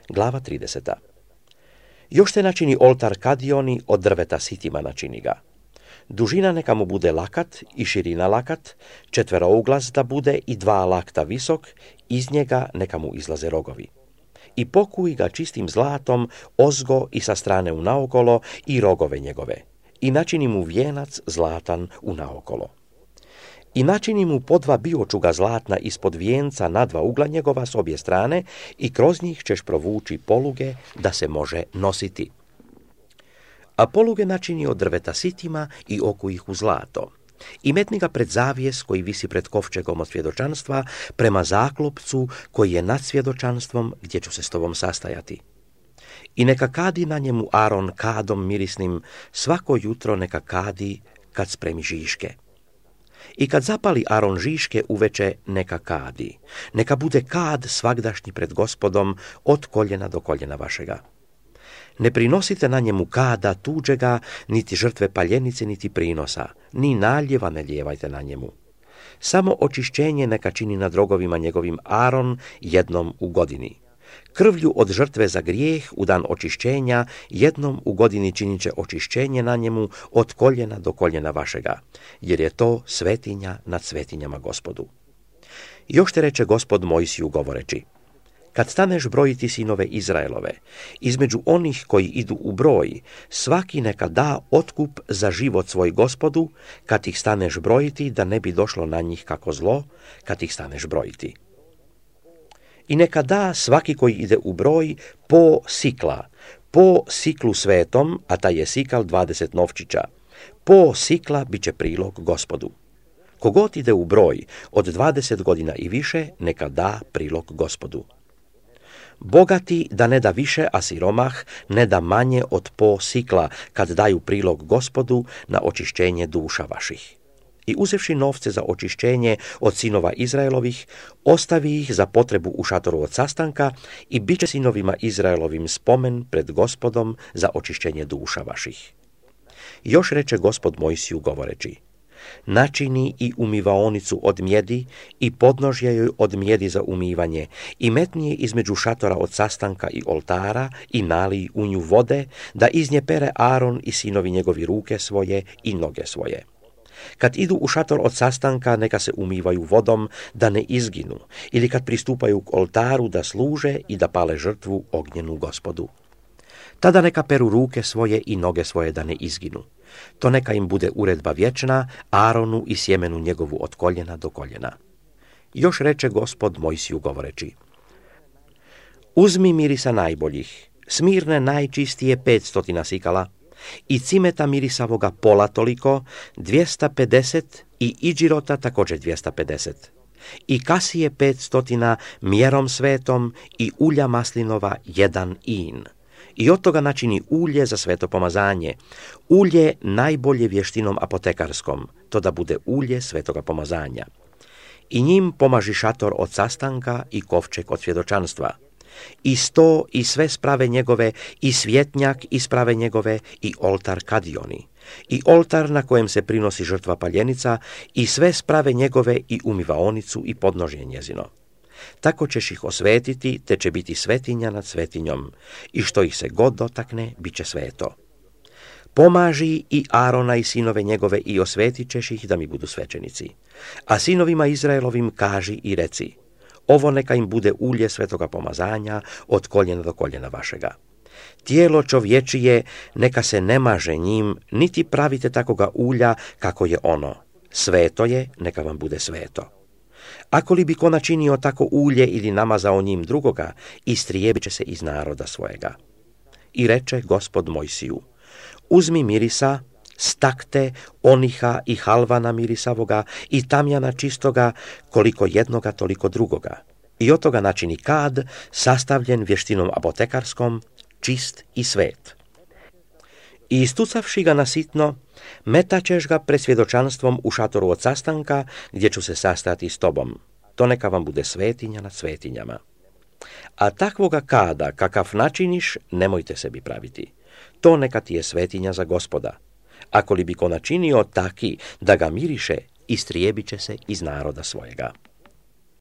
Glava 30. Još te načini oltar kadioni, od drveta sitima načini ga. Dužina neka mu bude lakat i širina lakat, četverouglas da bude i 2 lakta visok, iz njega neka mu izlaze rogovi. I pokuj ga čistim zlatom, ozgo i sa strane unaokolo i rogove njegove. I načini mu vijenac zlatan unaokolo. I načini mu po 2 biočuga zlatna ispod vijenca na 2 ugla njegova s obje strane i kroz njih ćeš provući poluge da se može nositi. A poluge načini od drveta sitima i okuj ih u zlato. I metni ga pred zavijes koji visi pred kovčegom od svjedočanstva prema zaklopcu koji je nad svjedočanstvom gdje ću se s tobom sastajati. I neka kadi na njemu Aron kadom mirisnim, svako jutro neka kadi kad spremi žiške. I kad zapali Aron žiške uveče neka kadi. Neka bude kad svagdašnji pred Gospodom od koljena do koljena vašega. Ne prinosite na njemu kada tuđega, niti žrtve paljenice, niti prinosa, ni naljeva ne lijevajte na njemu. Samo očišćenje neka čini nad rogovima njegovim Aron jednom u godini. Krvlju od žrtve za grijeh u dan očišćenja jednom u godini činit će očišćenje na njemu od koljena do koljena vašega, jer je to svetinja nad svetinjama Gospodu. Još te reče Gospod Mojsiju govoreći: kad staneš brojiti sinove Izraelove, između onih koji idu u broj, svaki neka da otkup za život svoj Gospodu, kad ih staneš brojiti, da ne bi došlo na njih kako zlo, kad ih staneš brojiti. I neka da svaki koji ide u broj po sikla, po siklu svetom, a taj je sikal 20 novčića, po sikla bit će prilog Gospodu. Kogod ide u broj od 20 godina i više, neka da prilog Gospodu. Bogati da ne da više, a siromah ne da manje od po sikla, kad daju prilog Gospodu na očišćenje duša vaših. I uzevši novce za očišćenje od sinova Izraelovih, ostavi ih za potrebu u šatoru od sastanka i bit će sinovima Izraelovim spomen pred Gospodom za očišćenje duša vaših. Još reče Gospod Mojsiju govoreći: načini i umivaonicu od mjedi i podnožje joj od mjedi za umivanje i metni je između šatora od sastanka i oltara i nalij u nju vode, da iz nje pere Aron i sinovi njegovi ruke svoje i noge svoje. Kad idu u šator od sastanka, neka se umivaju vodom da ne izginu, ili kad pristupaju k oltaru da služe i da pale žrtvu ognjenu Gospodu. Tada neka peru ruke svoje i noge svoje da ne izginu. To neka im bude uredba vječna, Aronu i sjemenu njegovu od koljena do koljena. Još reče Gospod Mojsiju govoreći: uzmi mirisa najboljih, smirne najčistije 500 sikala, i cimeta mirisavoga pola toliko, 250, i idžirota također 250, i kasije 500 mjerom svetom, i ulja maslinova 1 in. I od toga načini ulje za sveto pomazanje, ulje najbolje vještinom apotekarskom, to da bude ulje svetoga pomazanja. I njim pomaži šator od sastanka i kovčeg od svjedočanstva, i sto i sve sprave njegove, i svjetnjak i sprave njegove, i oltar kadioni, i oltar na kojem se prinosi žrtva paljenica, i sve sprave njegove, i umivaonicu i podnožje njezino. Tako ćeš ih osvetiti, te će biti svetinja nad svetinjom, i što ih se god dotakne, bit će sveto. Pomaži i Arona i sinove njegove i osvetit ćeš ih da mi budu svećenici. A sinovima Izraelovim kaži i reci: ovo neka im bude ulje svetoga pomazanja od koljena do koljena vašega. Tijelo čovječije neka se ne maže njim, niti pravite takoga ulja kako je ono. Sveto je, neka vam bude sveto. Ako li bi ko načinio tako ulje ili namazao njim drugoga, istrijebit će se iz naroda svojega. I reče Gospod Mojsiju: uzmi mirisa, stakte, oniha i halvana mirisavoga i tamjana čistoga, koliko jednoga toliko drugoga. I od toga načini kad, sastavljen vještinom apotekarskom, čist i svet. I istucavši ga na sitno, metaćeš ga pred svjedočanstvom u šatoru od sastanka, gdje ću se sastati s tobom. To neka vam bude svetinja nad svetinjama. A takvoga kada, kakav načiniš, nemojte sebi praviti. To neka ti je svetinja za Gospoda. Ako li bi ko načinio taki da ga miriše, istrijebit će se iz naroda svojega.